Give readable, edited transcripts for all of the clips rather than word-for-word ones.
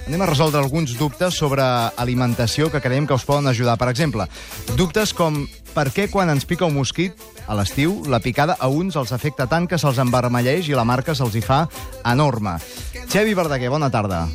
anem a resoldre alguns dubtes sobre alimentació que creiem que us poden ajudar. Per exemple, dubtes com per què quan ens pica un mosquit a l'estiu, la picada a uns els afecta tant que se'ls envermelleix i la marca se'ls hi fa enorme. Xevi Verdaguer, bona tarda.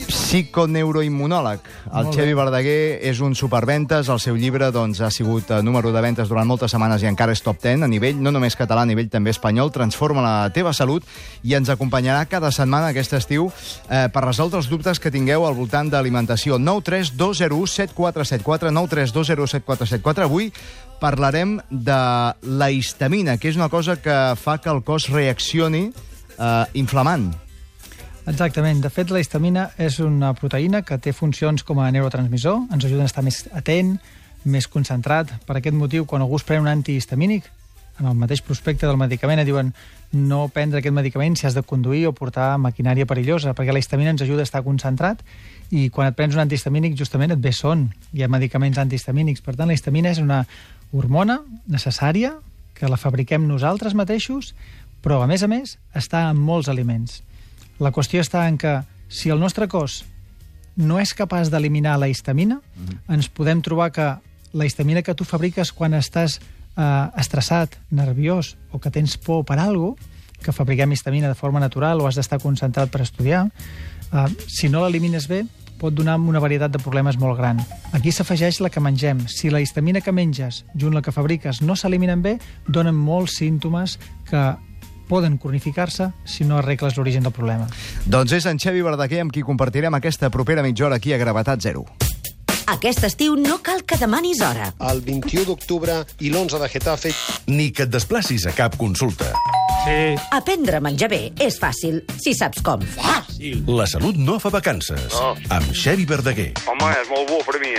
Psiconeuroimmunòleg. El Xevi Verdaguer és un superventes. El seu llibre ha sigut número de ventes durant moltes setmanes i encara és top 10 a nivell, no només català, a nivell també espanyol. Transforma la teva salut i ens acompanyarà cada setmana aquest estiu per resoldre els dubtes que tingueu al voltant d'alimentació. 932017474, 932017474. Avui parlarem de la histamina, que és una cosa que fa que el cos reaccioni inflamant. Exactament. De fet, la histamina és una proteïna que té funcions com a neurotransmissor, ens ajuda a estar més atent, més concentrat. Per aquest motiu, quan algú es pren un antihistamínic, en el mateix prospecte del medicament et diuen no prendre aquest medicament si has de conduir o portar maquinària perillosa, perquè la histamina ens ajuda a estar concentrat i quan et prens un antihistamínic justament et ve son. Hi ha medicaments antihistamínics. Per tant, la histamina és una hormona necessària que la fabriquem nosaltres mateixos, però, a més, està en molts aliments. La qüestió està en que si el nostre cos no és capaç d'eliminar la histamina, ens podem trobar que la histamina que tu fabriques quan estàs estressat, nerviós o que tens por per alguna cosa, que fabriquem histamina de forma natural o has d'estar concentrat per estudiar, si no l'elimines bé, pot donar una varietat de problemes molt gran. Aquí s'afegeix la que mengem. Si la histamina que menges, junt la que fabriques, no s'eliminen bé, donen molts símptomes que poden cronificar-se si no arregles l'origen del problema. Doncs és en Xevi Verdaguer amb qui compartirem aquesta propera mitja hora aquí a Gravetat Zero. Aquest estiu no cal que demanis hora. El 21 d'octubre i l'11 de Getafe. Ni que et desplacis a cap consulta. Sí. Aprendre a menjar bé és fàcil, si saps com. Fàcil! La salut no fa vacances. No. Amb Xevi Verdaguer. Home, és molt bo per mi,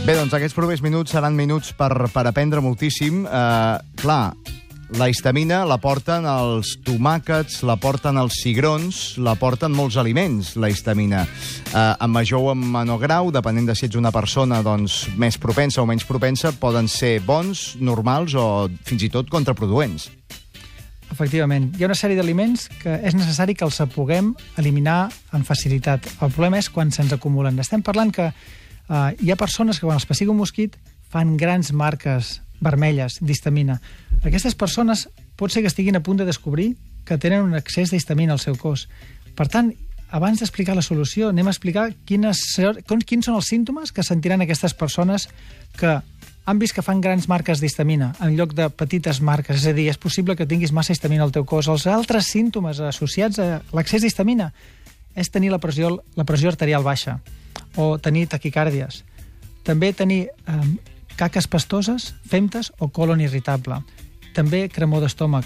Bé, doncs aquests propers minuts seran minuts per aprendre moltíssim. Clar, la histamina la porten els tomàquets, la porten els cigrons, la porten molts aliments, la histamina. En major o en menor grau, depenent de si ets una persona més propensa o menys propensa, poden ser bons, normals o fins i tot contraproduents. Efectivament. Hi ha una sèrie d'aliments que és necessari que els puguem eliminar amb facilitat. El problema és quan se'ns acumulen. Estem parlant que hi ha persones que quan els persiga un mosquit fan grans marques vermelles d'histamina. Aquestes persones pot ser que estiguin a punt de descobrir que tenen un excés d'histamina al seu cos. Per tant, abans d'explicar la solució, anem a explicar quins són els símptomes que sentiran aquestes persones que han vist que fan grans marques d'histamina en lloc de petites marques. És a dir, és possible que tinguis massa histamina al teu cos. Els altres símptomes associats a l'excés d'histamina és tenir la pressió arterial baixa o tenir taquicàrdies. També tenir caques pastoses, femtes o colon irritable. També cremor d'estómac.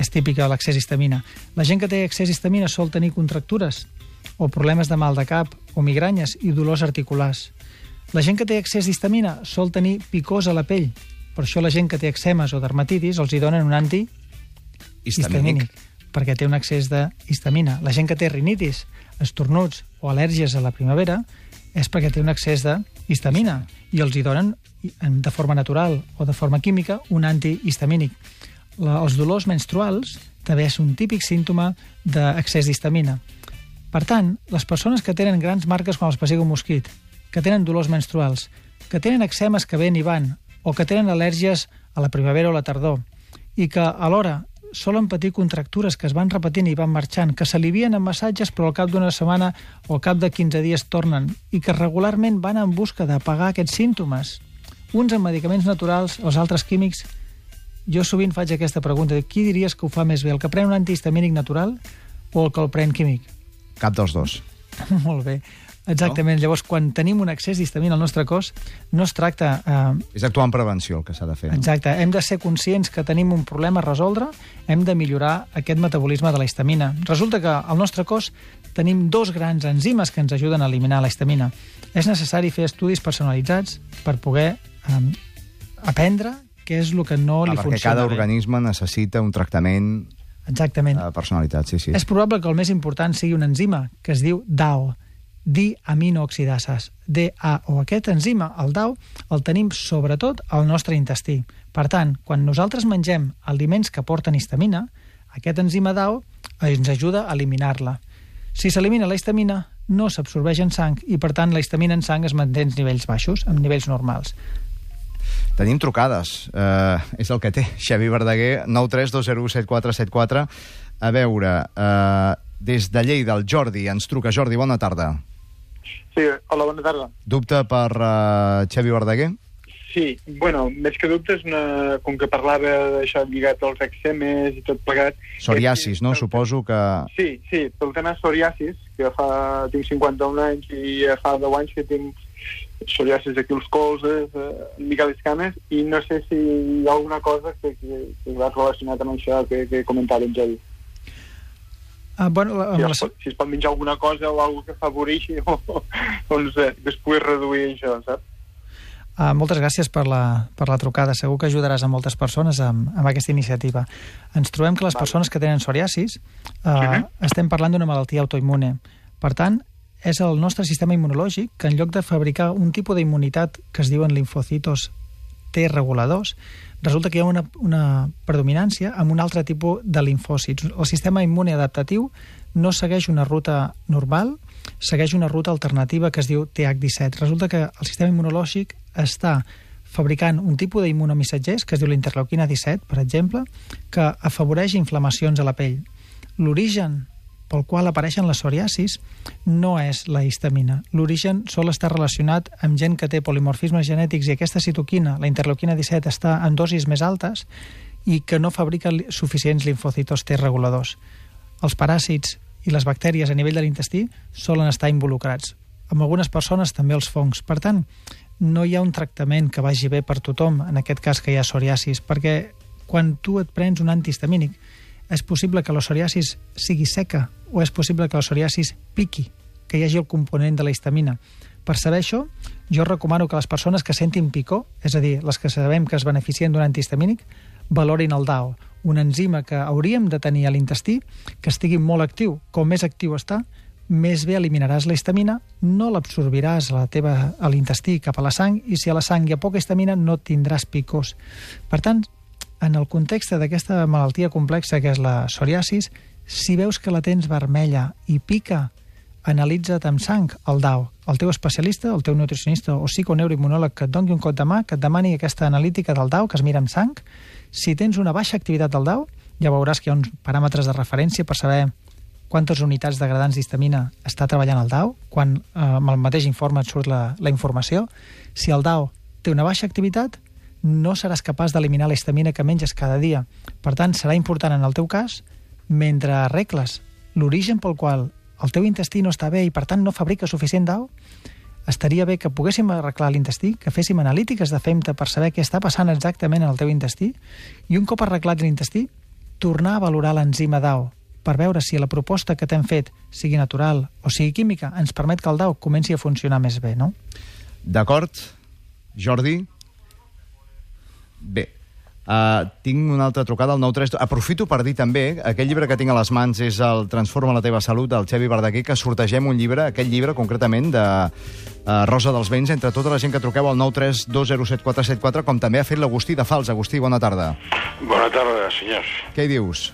És típica de l'excés d'histamina. La gent que té excés d'histamina sol tenir contractures o problemes de mal de cap o migranyes i dolors articulars. La gent que té excés d'histamina sol tenir picors a la pell. Per això la gent que té eczemes o dermatitis els hi donen un antihistamínic perquè té un excés d'histamina. La gent que té rinitis, estornuts o al·lèrgies a la primavera és perquè té un excés d'histamina i els hi donen de forma natural o de forma química un antihistamínic. Els dolors menstruals també és un típic símptoma d'excés d'histamina. Per tant, les persones que tenen grans marques quan els persiga un mosquit, que tenen dolors menstruals, que tenen eczemes que ven i van, o que tenen al·lèrgies a la primavera o la tardor, i que alhora solen patir contractures que es van repetint i van marxant, que s'alivien amb massatges però al cap d'una setmana o al cap de 15 dies tornen, i que regularment van en busca d'apagar aquests símptomes. Uns amb medicaments naturals, els altres químics. Jo sovint faig aquesta pregunta, qui diries que ho fa més bé, el que pren un antihistamínic natural o el que el pren químic? Cap dels dos. Molt bé. Exactament. No? Llavors, quan tenim un excés d'histamina al nostre cos, no es tracta... És actuar en prevenció el que s'ha de fer. No? Exacte. Hem de ser conscients que tenim un problema a resoldre, hem de millorar aquest metabolisme de la histamina. Resulta que al nostre cos tenim dos grans enzimes que ens ajuden a eliminar la histamina. És necessari fer estudis personalitzats per poder aprendre què és el que no li funciona. Perquè cada organisme necessita un tractament Exactament. personalitat, sí. És probable que el més important sigui una enzima que es diu DAO, diaminooxidases, DAO. Aquest enzima, el DAO, el tenim sobretot al nostre intestí. Per tant, quan nosaltres mengem aliments que porten histamina, aquest enzima DAO ens ajuda a eliminar-la. Si s'elimina la histamina, no s'absorbeix en sang i, per tant, la histamina en sang es manté en nivells baixos, en nivells normals. Tenim trucades. És el que té. Xavi Verdaguer, 932017474. A veure, des de Lleida, el Jordi ens truca. Jordi, bona tarda. Sí, hola, bona tarda. Dubte per Xavi Verdaguer? Sí, bueno, més que dubtes, com que parlava d'això lligat als eczemes i tot plegat... Psoriasis, no? Suposo que... Sí, pel tema psoriasis, que tinc 51 anys i fa 10 anys que tinc psoriasis aquí als colzes, una mica les cames, i no sé si hi ha alguna cosa que va relacionat amb això que comentava en Javi. Si es pot menjar alguna cosa o alguna que afavoreixi doncs, que es pugui reduir això, saps? Moltes gràcies per la trucada. Segur que ajudaràs a moltes persones amb aquesta iniciativa. Ens trobem que les persones que tenen psoriasis estem parlant d'una malaltia autoimmune. Per tant, és el nostre sistema immunològic que en lloc de fabricar un tipus d'immunitat que es diuen linfocitos T reguladors, resulta que hi ha una predominància amb un altre tipus de linfòcits. El sistema immune adaptatiu no segueix una ruta normal, segueix una ruta alternativa que es diu TH17. Resulta que el sistema immunològic està fabricant un tipus d'immunomissatgers que es diu l'interleuquina 17, per exemple, que afavoreix inflamacions a la pell. L'origen pel qual apareixen les psoriasis no és la histamina. L'origen sol estar relacionat amb gent que té polimorfismes genètics i aquesta citoquina, la interleuquina 17, està en dosis més altes i que no fabrica suficients linfocitos T reguladors. Els paràsits i les bactèries a nivell de l'intestí solen estar involucrats. Amb algunes persones també els fongs. Per tant, no hi ha un tractament que vagi bé per tothom, en aquest cas que hi ha psoriasis, perquè quan tu et prens un antihistamínic és possible que la psoriasis sigui seca o és possible que la psoriasis piqui, que hi hagi el component de la histamina. Per saber això, jo recomano que les persones que sentin picor, és a dir, les que sabem que es beneficien d'un antihistamínic, valorin el DAO, un enzima que hauríem de tenir a l'intestí, que estigui molt actiu. Com més actiu està, més bé eliminaràs la histamina, no l'absorbiràs a l'intestí cap a la sang, i si a la sang hi ha poca histamina no tindràs picors. Per tant, en el context d'aquesta malaltia complexa que és la psoriasis, si veus que la tens vermella i pica, analitza't amb sang el DAO. El teu especialista, el teu nutricionista o psiconeuroimmunòleg que et doni un cop de mà, que et demani aquesta analítica del DAO, que es mira amb sang. Si tens una baixa activitat del DAO, ja veuràs que hi ha uns paràmetres de referència per saber quantes unitats degradants d'histamina està treballant el DAO, quan amb el mateix informe et surt la informació. Si el DAO té una baixa activitat, no seràs capaç d'eliminar la histamina que menges cada dia. Per tant, serà important en el teu cas, mentre arregles l'origen pel qual el teu intestí no està bé i per tant no fabrica suficient DAO, estaria bé que poguéssim arreglar l'intestí, que féssim analítiques de FEMTA per saber què està passant exactament en el teu intestí i un cop arreglat l'intestí, tornar a valorar l'enzima DAO per veure si la proposta que t'hem fet, sigui natural o sigui química, ens permet que el DAO comenci a funcionar més bé, no? D'acord. Jordi? Bé. Tinc una altra trucada al 932. Aprofito per dir també, aquell llibre que tinc a les mans és el Transforma la teva salut, del Xavi Verdaguer, que sortegem un llibre, aquell llibre concretament de Rosa dels Vents, entre tota la gent que truqueu al 932077474, com també ha fet l'Agustí de Fals. Agustí, bona tarda. Bona tarda, senyors. Què hi dius?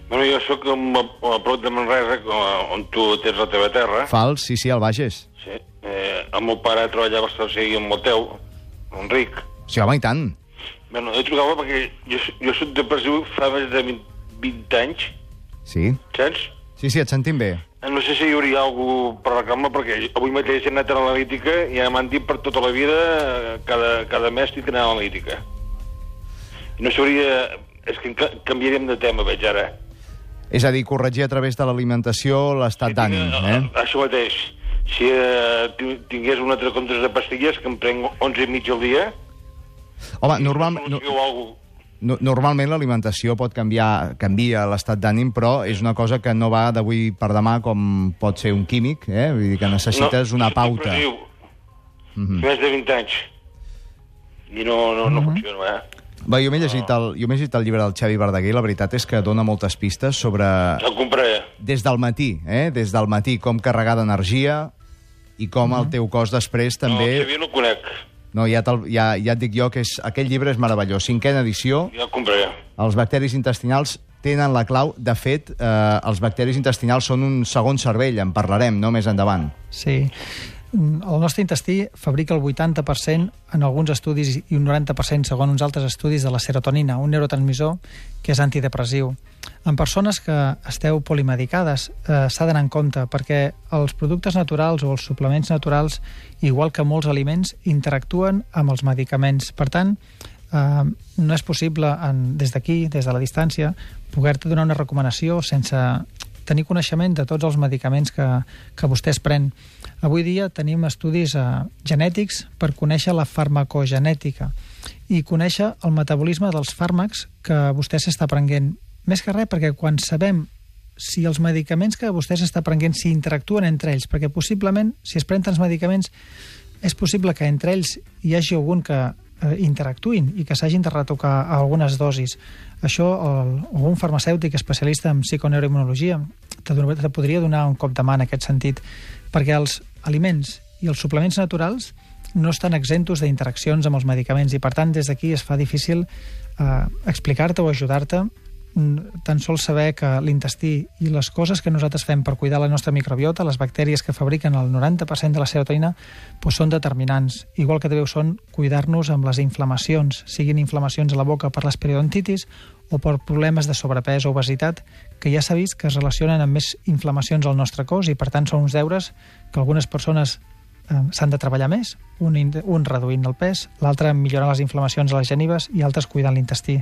Bueno, jo soc a prop de Manresa, on tu tens la teva terra. Fals, sí, al Bages. Sí. El meu pare treballava a seguir amb el teu, Enric. Sí, home, i tant. Bueno, jo trucava perquè jo soc depressiu fa més de 20 anys. Sí? Saps? Sí, et sentim bé. No sé si hi hauria alguna cosa per reclamar, perquè avui mateix he anat a l'analítica i ja m'han dit per tota la vida, cada mes tinc que anar a l'analítica. No s'hauria... És que canviaríem de tema, veig ara. És a dir, corregir a través de l'alimentació l'estat d'ànim, Això mateix. Si tingués un altre compte de pastilles, que em prenc 11 i mig al dia... Home, normalment l'alimentació pot canvia l'estat d'ànim, però és una cosa que no va d'avui per demà com pot ser un químic, vull dir que necessites una pauta. Més de 20 anys. I no funciona, Va, jo m'he llegit el llibre del Xavi Verdaguer i la veritat és que dona moltes pistes sobre... El compraré. Des del matí, com carregar d'energia i com el teu cos després també... No, el Xavi no el conec. No, ja et dic jo que aquell llibre és meravellós. 5ª edició. Ja el compraré. Els bacteris intestinals tenen la clau. De fet, els bacteris intestinals són un segon cervell, en parlarem, no?, més endavant. Sí. El nostre intestí fabrica el 80% en alguns estudis i un 90% segons uns altres estudis de la serotonina, un neurotransmissor que és antidepressiu. En persones que esteu polimedicades s'ha d'anar en compte perquè els productes naturals o els suplements naturals, igual que molts aliments, interactuen amb els medicaments. Per tant, no és possible des d'aquí, des de la distància, poder-te donar una recomanació sense tenir coneixement de tots els medicaments que vostè es pren. Avui dia tenim estudis genètics per conèixer la farmacogenètica i conèixer el metabolisme dels fàrmacs que vostè s'està prenent. Més que res, perquè quan sabem si els medicaments que vostè s'està prenent si interactuen entre ells, perquè possiblement, si es pren tants medicaments, és possible que entre ells hi hagi algun que interactuïn i que s'hagin de retocar a algunes dosis. Això, algun farmacèutic especialista en psiconeuroimmunologia te podria donar un cop de mà en aquest sentit, perquè els aliments i els suplements naturals no estan exemptos d'interaccions amb els medicaments i, per tant, des d'aquí es fa difícil explicar-te o ajudar-te tan sols saber que l'intestí i les coses que nosaltres fem per cuidar la nostra microbiota, les bactèries que fabriquen el 90% de la serotonina, doncs són determinants. Igual que també ho són cuidar-nos amb les inflamacions, siguin inflamacions a la boca per les periodontitis o per problemes de sobrepès o obesitat, que ja s'ha vist que es relacionen amb més inflamacions al nostre cos i, per tant, són uns deures que algunes persones s'han de treballar més, un reduint el pes, l'altre millorant les inflamacions a les genives i altres cuidant l'intestí.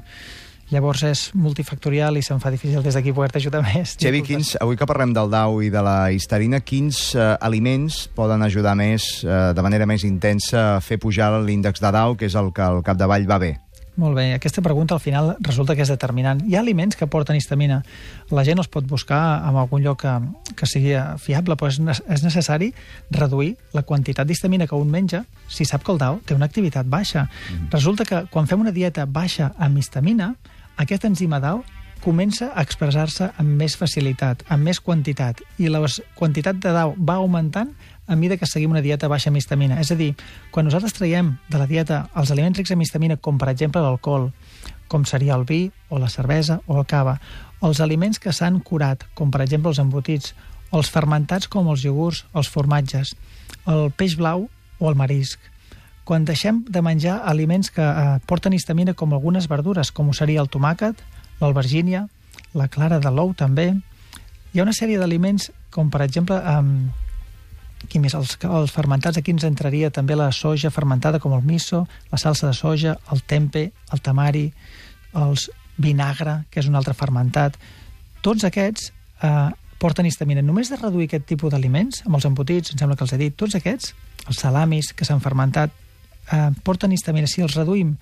Llavors és multifactorial i se'm fa difícil des d'aquí poder-te ajudar més. Xavi, avui que parlem del DAO i de la histerina, quins aliments poden ajudar més, de manera més intensa, a fer pujar l'índex de DAO, que és el que al capdavall va bé? Molt bé, aquesta pregunta al final resulta que és determinant. Hi ha aliments que porten histamina. La gent els pot buscar en algun lloc que sigui fiable, però és necessari reduir la quantitat d'histamina que un menja si sap que el DAO té una activitat baixa. Resulta que quan fem una dieta baixa amb histamina, aquest enzima DAO comença a expressar-se amb més facilitat, amb més quantitat, i la quantitat de DAO va augmentant a mesura que seguim una dieta baixa amb histamina. És a dir, quan nosaltres traiem de la dieta els aliments rics en histamina, com per exemple l'alcohol, com seria el vi, o la cervesa, o el cava, els aliments que s'han curat, com per exemple els embotits, els fermentats com els iogurts, els formatges, el peix blau o el marisc. Quan deixem de menjar aliments que porten histamina, com algunes verdures, com ho seria el tomàquet, l'albergínia, la clara de l'ou també, hi ha una sèrie d'aliments com per exemple els fermentats. Aquí ens entraria també la soja fermentada com el miso, la salsa de soja, el tempe, el tamari, el vinagre, que és un altre fermentat. Tots aquests porten histamina. Només de reduir aquest tipus d'aliments, amb els embotits, em sembla que els he dit, tots aquests, els salamis que s'han fermentat, porten histamina. Si els reduïm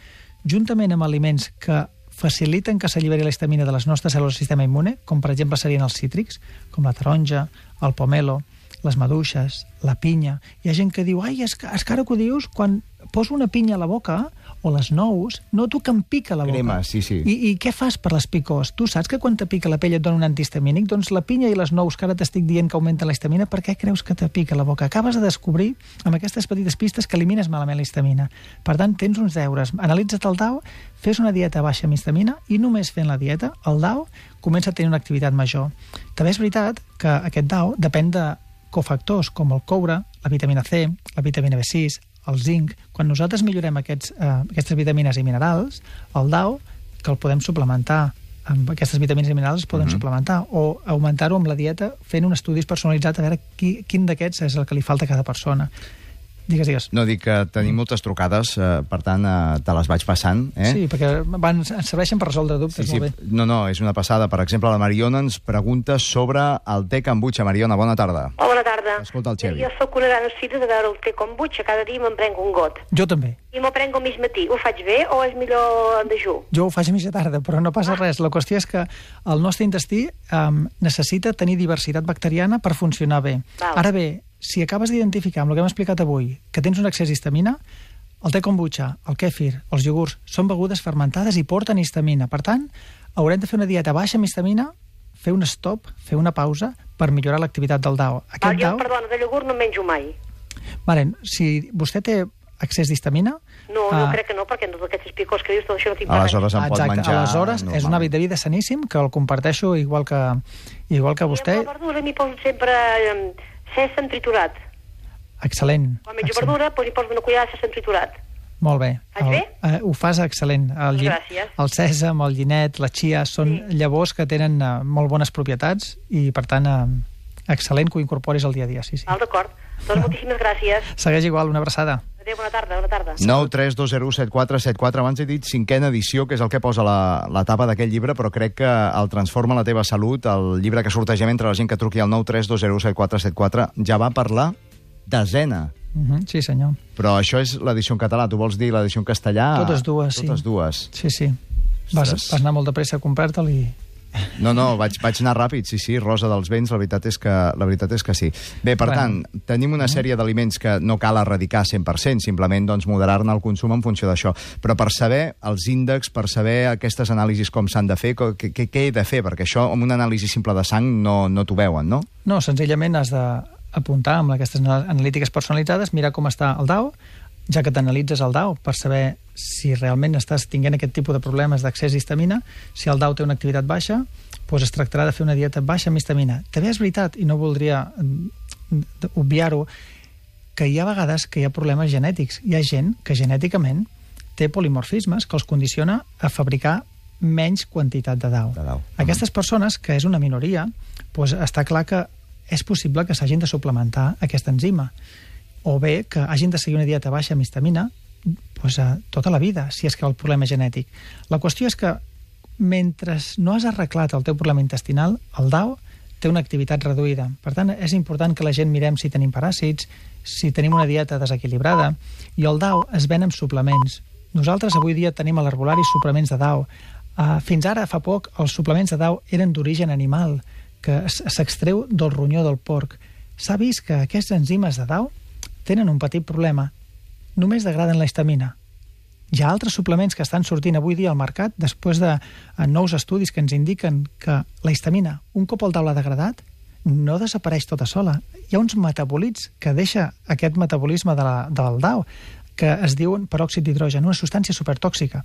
juntament amb aliments que faciliten que s'alliberi la histamina de les nostres cèl·lules del sistema immune, com per exemple serien els cítrics, com la taronja, el pomelo, les maduixes, la pinya. Hi ha gent que diu, ai, és que ara que ho dius, quan poso una pinya a la boca o les nous, noto que em pica la boca. Crema, sí. I què fas per les picors? Tu saps que quan te pica la pell et dona un antihistamínic? Doncs la pinya i les nous que ara t'estic dient que augmenten la histamina, per què creus que te pica la boca? Acabes de descobrir amb aquestes petites pistes que elimines malament la histamina. Per tant, tens uns deures. Analitza't el DAO, fes una dieta baixa amb histamina i només fent la dieta, el DAO comença a tenir una activitat major. També és veritat que aquest DAO depèn de cofactors com el coure, la vitamina C, la vitamina B6, el zinc. Quan nosaltres millorem aquestes vitamines i minerals, el DAO, que el podem suplementar amb aquestes vitamines i minerals, es poden suplementar o augmentar-ho amb la dieta fent un estudi personalitzat a veure quin d'aquests és el que li falta a cada persona. Digues. No, dic que tenim moltes trucades, per tant, te les vaig passant. Sí, perquè ens serveixen per resoldre dubtes, molt bé. No, és una passada. Per exemple, la Mariona ens pregunta sobre el te kombucha. Mariona, bona tarda. Bona tarda. Escolta el Xavi. Jo soc una gran esfida de veure el te kombucha. Cada dia me'n prenc un got. Jo també. I me'l prenc al mig matí. Ho faig bé o és millor en dejú? Jo ho faig a mitja tarda, però no passa res. La qüestió és que el nostre intestí necessita tenir diversitat bacteriana per funcionar bé. Ara bé, si acabes d'identificar amb el que hem explicat avui que tens un excés d'histamina, El te kombucha, el kèfir, els iogurts, són begudes fermentades i porten histamina. Per tant, haurem de fer una dieta baixa amb histamina, fer un stop, fer una pausa, per millorar l'activitat del DAO. Jo, perdona, de iogurt no menjo mai. Vale, si vostè té excés d'histamina... No, crec que no, perquè amb tots aquests picors que dius, tot això no tinc aleshores en pot menjar... Aleshores, és un hàbit de vida saníssim, que el comparteixo igual que vostè. I amb la verdura m'hi poso sempre sèsam triturat. Excel·lent. Quan menjo verdura, hi poso una cullada de sèsam triturat. Molt bé. Faig bé? Ho fas excel·lent. Gràcies. El sèsam, el llinet, la chia, són llavors que tenen molt bones propietats i, per tant, excel·lent que ho incorporis al dia a dia. Sí. D'acord. Doncs moltíssimes gràcies. Segueix igual, una abraçada. Adéu, bona tarda. 932017474. Abans he dit 5a edició, que és el que posa la tapa d'aquest llibre, però crec que el Transforma la teva salut, el llibre que sortegem entre la gent que truqui al 932017474, ja va per la 10a. Sí, senyor. Però això és l'edició en català. Tu vols dir l'edició en castellà? Totes dues, sí. Totes dues. Sí. Vas anar molt de pressa a comprar-te'l i... No, vaig anar ràpid, sí, Rosa dels Vents, la veritat és que sí. Bé, per tant, tenim una sèrie d'aliments que no cal erradicar 100%, simplement moderar-ne el consum en funció d'això. Però per saber els índexs, per saber aquestes anàlisis com s'han de fer, què he de fer? Perquè això, amb una anàlisi simple de sang, no t'ho veuen, no? No, senzillament has d'apuntar amb aquestes analítiques personalitzades, mirar com està el DAO, ja que t'analitzes el DAO per saber si realment estàs tinguent aquest tipus de problemes d'accés d'histamina. Si el DAO té una activitat baixa, doncs es tractarà de fer una dieta baixa amb histamina. També és veritat, i no voldria obviar-ho, que hi ha vegades que hi ha problemes genètics. Hi ha gent que genèticament té polimorfismes que els condiciona a fabricar menys quantitat de DAO. Aquestes persones, que és una minoria, doncs està clar que és possible que s'hagin de suplementar aquesta enzima, o bé que hagin de seguir una dieta baixa amb histamina tota la vida, si és que el problema és genètic. La qüestió és que mentre no has arreglat el teu problema intestinal, el DAO té una activitat reduïda. Per tant, és important que la gent mirem si tenim paràsits, si tenim una dieta desequilibrada, i el DAO es ven amb suplements. Nosaltres avui dia tenim a l'herbulari suplements de DAO. Fins ara, fa poc, els suplements de DAO eren d'origen animal, que s'extreu del ronyó del porc. S'ha vist que aquests enzimes de DAO tenen un petit problema. Només degraden la histamina. Hi ha altres suplements que estan sortint avui dia al mercat després de nous estudis que ens indiquen que la histamina, un cop el DAO l'ha degradat, no desapareix tota sola. Hi ha uns metabolits que deixa aquest metabolisme del DAO, que es diuen peròxid d'hidrogen, una substància supertòxica.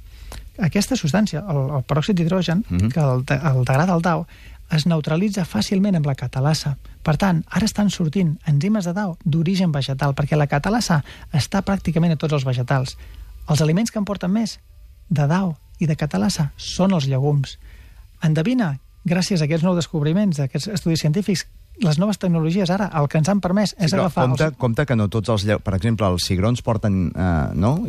Aquesta substància, el peròxid d'hidrogen, que el degrada el DAO, es neutralitza fàcilment amb la catalasa. Per tant, ara estan sortint enzimes de DAO d'origen vegetal, perquè la catalasa està pràcticament a tots els vegetals. Els aliments que en porten més de DAO i de catalasa són els llegums. Endevina, gràcies a aquests nous descobriments, a aquests estudis científics, les noves tecnologies ara, el que ens han permès és agafar... Compte que no tots els... Per exemple, els cigrons porten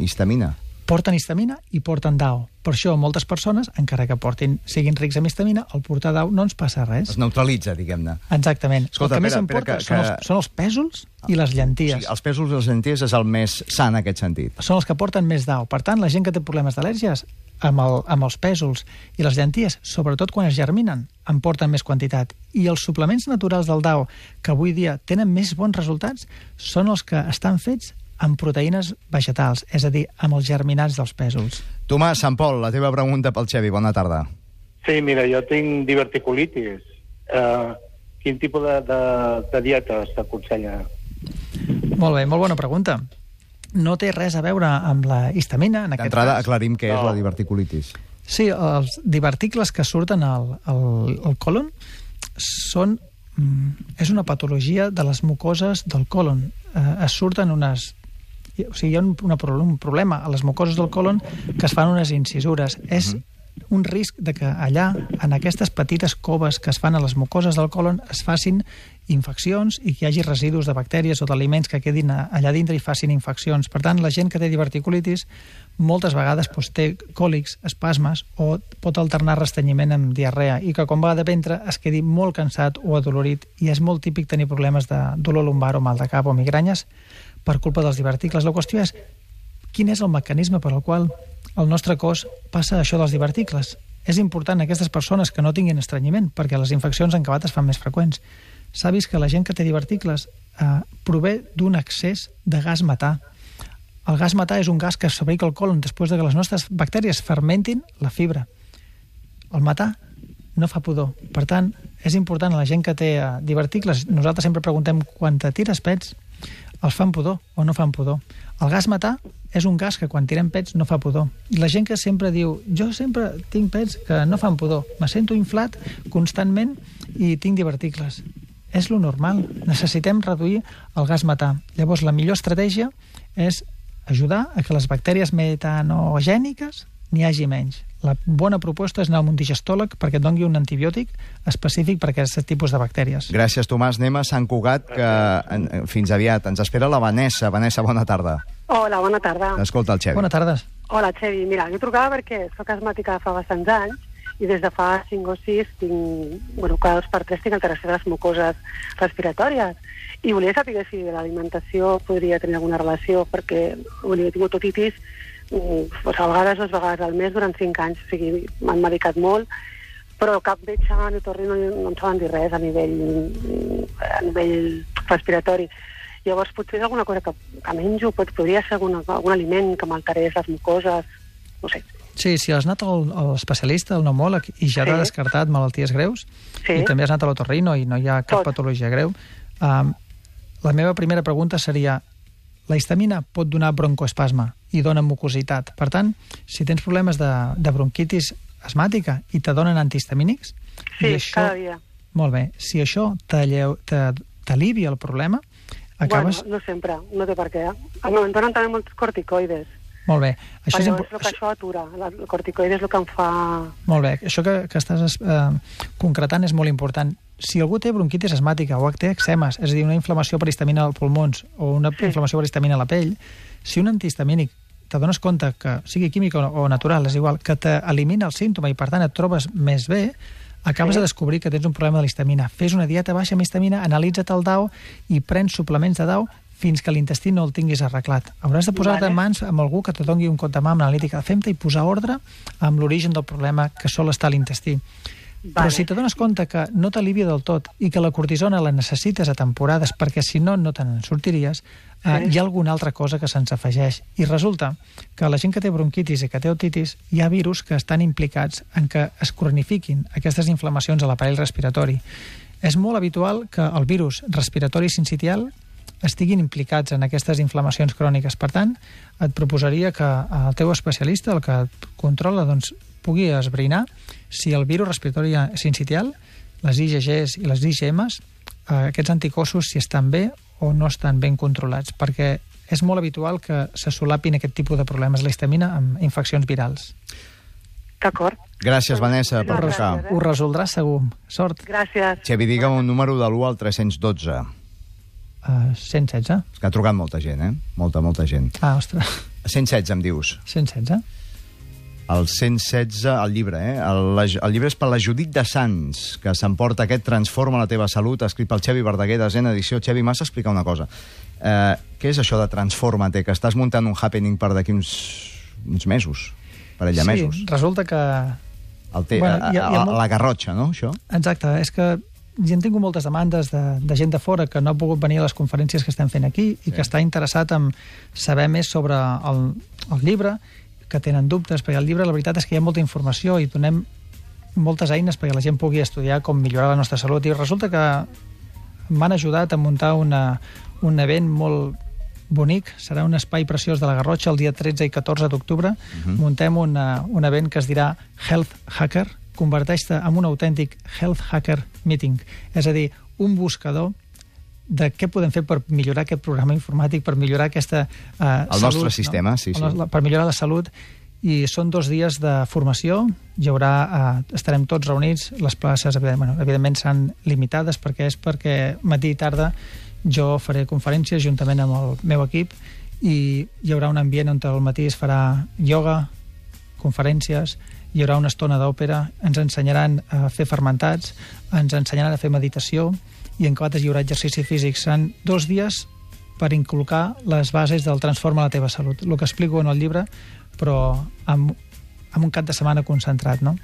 histamina. Porten histamina i porten DAO. Per això, moltes persones, encara que siguin rics en histamina, al portar DAO no ens passa res. Es neutralitza, diguem-ne. Exactament. Escolta, el que més em porta són els pèsols i les llenties. O sigui, els pèsols i les llenties és el més sa en aquest sentit. Són els que porten més DAO. Per tant, la gent que té problemes d'al·lèrgies, amb els pèsols i les llenties, sobretot quan es germinen, en porten més quantitat. I els suplements naturals del DAO, que avui dia tenen més bons resultats, són els que estan fets amb proteïnes vegetals, és a dir, amb els germinats dels pèsols. Tomàs, Sant Pol, la teva pregunta pel Xevi. Bona tarda. Sí, mira, jo tinc diverticulitis. Quin tipus de dieta s'aconsella? Molt bé, molt bona pregunta. No té res a veure amb la histamina, en aquest cas. D'entrada, aclarim què és la diverticulitis. Sí, els diverticles que surten al colon és una patologia de les mucoses del colon. Es surten o sigui, hi ha un problema a les mucoses del colon que es fan unes incisures. És un risc de que allà, en aquestes petites coves que es fan a les mucoses del colon, es facin infeccions i que hi hagi residus de bactèries o d'aliments que quedin allà dintre i facin infeccions. Per tant, la gent que té diverticulitis moltes vegades té còlics, espasmes o pot alternar restrenyiment amb diarrea i que quan va de ventre es quedi molt cansat o adolorit i és molt típic tenir problemes de dolor lumbar o mal de cap o migranyes per culpa dels diverticles. La qüestió és quin és el mecanisme per al qual el nostre cos passa això dels diverticles. És important a aquestes persones que no tinguin estrenyiment perquè les infeccions en acabat es fan més freqüents. S'ha vist que la gent que té diverticles prové d'un excés de gas metà. El gas metà és un gas que es fabrica al colon després de que les nostres bactèries fermentin la fibra. El metà no fa pudor. Per tant, és important a la gent que té diverticles. Nosaltres sempre preguntem quan te tires pets, els fan pudor o no fan pudor. El gas metà és un gas que quan tirem pets no fa pudor. I la gent que sempre diu, jo sempre tinc pets que no fan pudor, me sento inflat constantment i tinc diverticles. És lo normal. Necessitem reduir el gas metà. Llavors, la millor estratègia és ajudar a que les bactèries metanogèniques n'hi hagi menys. La bona proposta és anar a un digestòleg perquè et doni un antibiòtic específic per a aquest tipus de bactèries. Gràcies, Tomàs. Anem a Sant Cugat, que fins aviat. Ens espera la Vanessa. Vanessa, bona tarda. Hola, bona tarda. Escolta el Xevi. Bona tarda. Hola, Xevi. Mira, jo trucava perquè soc asmàtica fa bastants anys i des de fa 5 o 6 cada 2 per 3 tinc alteració de les mucoses respiratòries. I volia saber si l'alimentació podria tenir alguna relació, perquè he tingut otitis a vegades 2 vegades al mes durant 5 anys, o sigui, m'han medicat molt, però cap metge ni otorrino no em saben dir res a nivell respiratori. Llavors, potser és alguna cosa que menjo, podria ser algun aliment que m'alterés les mucoses, no sé. Sí, si has anat a l'especialista, al pneumòleg, i ja t'ha descartat malalties greus, i també has anat a l'otorrino i no hi ha cap patologia greu, la meva primera pregunta seria: la histamina pot donar broncoespasme i dona mucositat. Per tant, si tens problemes de bronquitis asmàtica i te donen antihistamínics... Sí, cada dia. Molt bé. Si això t'alivia el problema, acabes... Bueno, no sempre, no té per què. Em donen també molts corticoides. Molt bé. Això és el que això atura. El corticoide és el que em fa... Molt bé. Això que estàs concretant és molt important. Si algú té bronquitis asmàtica o té eczemes, és a dir, una inflamació per histamina als pulmons o una inflamació per histamina a la pell, si un antihistamínic t'adones compte que sigui químic o natural, és igual, que t'elimina el símptoma i per tant et trobes més bé, acabes de descobrir que tens un problema de l'histamina. Fes una dieta baixa amb histamina, analitza't el DAO i prens suplements de DAO fins que l'intestí no el tinguis arreglat. Hauràs de posar-te en mans amb algú que te doni un compte mà amb l'analítica de FEMTA i posar ordre amb l'origen del problema que sol estar a l'intestí. Però si t'adones compte que no t'alivia del tot i que la cortisona la necessites a temporades perquè si no, no te n'en sortiries, hi ha alguna altra cosa que se'ns afegeix. I resulta que la gent que té bronquitis i que té otitis hi ha virus que estan implicats en que es cronifiquin aquestes inflamacions a l'aparell respiratori. És molt habitual que el virus respiratori sincitial estiguin implicats en aquestes inflamacions cròniques. Per tant, et proposaria que el teu especialista, el que et controla, doncs, pugui esbrinar si el virus respiratori sincitial, les IgGs i les IgMs, aquests anticossos, si estan bé o no estan ben controlats, perquè és molt habitual que se solapin aquest tipus de problemes, la histamina, amb infeccions virals. D'acord. Gràcies, Vanessa, per trucar. Ho resoldràs segur. Sort. Gràcies. Xevi, digue'm un número de l'1 al 312. 116. És que ha trucat molta gent, Molta gent. Ah, ostres. 116, em dius. 116? El 116, el llibre, El llibre és per la Judit de Sants, que s'emporta aquest Transforma la teva salut, escrit pel Xevi Verdaguer, desena edició. Xevi, m'has d'explicar una cosa. Què és això de Transforma-te, que estàs muntant un happening per d'aquí uns mesos, parell de mesos? Sí, resulta que... La Garrotxa, no, això? Exacte, és que ja hem tingut moltes demandes de gent de fora que no ha pogut venir a les conferències que estem fent aquí i que està interessat en saber més sobre el llibre, que tenen dubtes, perquè el llibre la veritat és que hi ha molta informació i donem moltes eines perquè la gent pugui estudiar com millorar la nostra salut, i resulta que m'han ajudat a muntar un event molt bonic, serà un espai preciós de la Garrotxa el dia 13 i 14 d'octubre. Muntem un event que es dirà Health Hacker, converteix-te en un autèntic Health Hacker Meeting, és a dir, un buscador de què podem fer per millorar aquest programa informàtic, per millorar aquesta el salut, nostre sistema, sí. Per millorar la salut. I són 2 dies de formació, estarem tots reunits, les places evidentment seran limitades perquè matí i tarda jo faré conferències juntament amb el meu equip i hi haurà un ambient on al matí es farà ioga, conferències, hi haurà una estona d'òpera, ens ensenyaran a fer fermentats, ens ensenyaran a fer meditació, i en quates hi haurà exercici físic. Seran 2 dies per inculcar les bases del Transforma la teva salut. El que explico en el llibre, però amb un cap de setmana concentrat, no?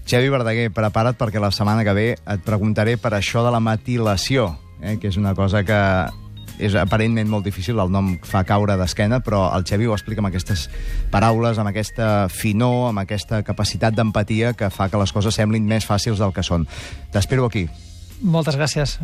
Xevi Verdaguer, prepara't perquè la setmana que ve et preguntaré per això de la metilació, que és una cosa que és aparentment molt difícil, el nom fa caure d'esquena, però el Xevi ho explica amb aquestes paraules, amb aquesta finor, amb aquesta capacitat d'empatia que fa que les coses semblin més fàcils del que són. T'espero aquí. Moltes gràcies.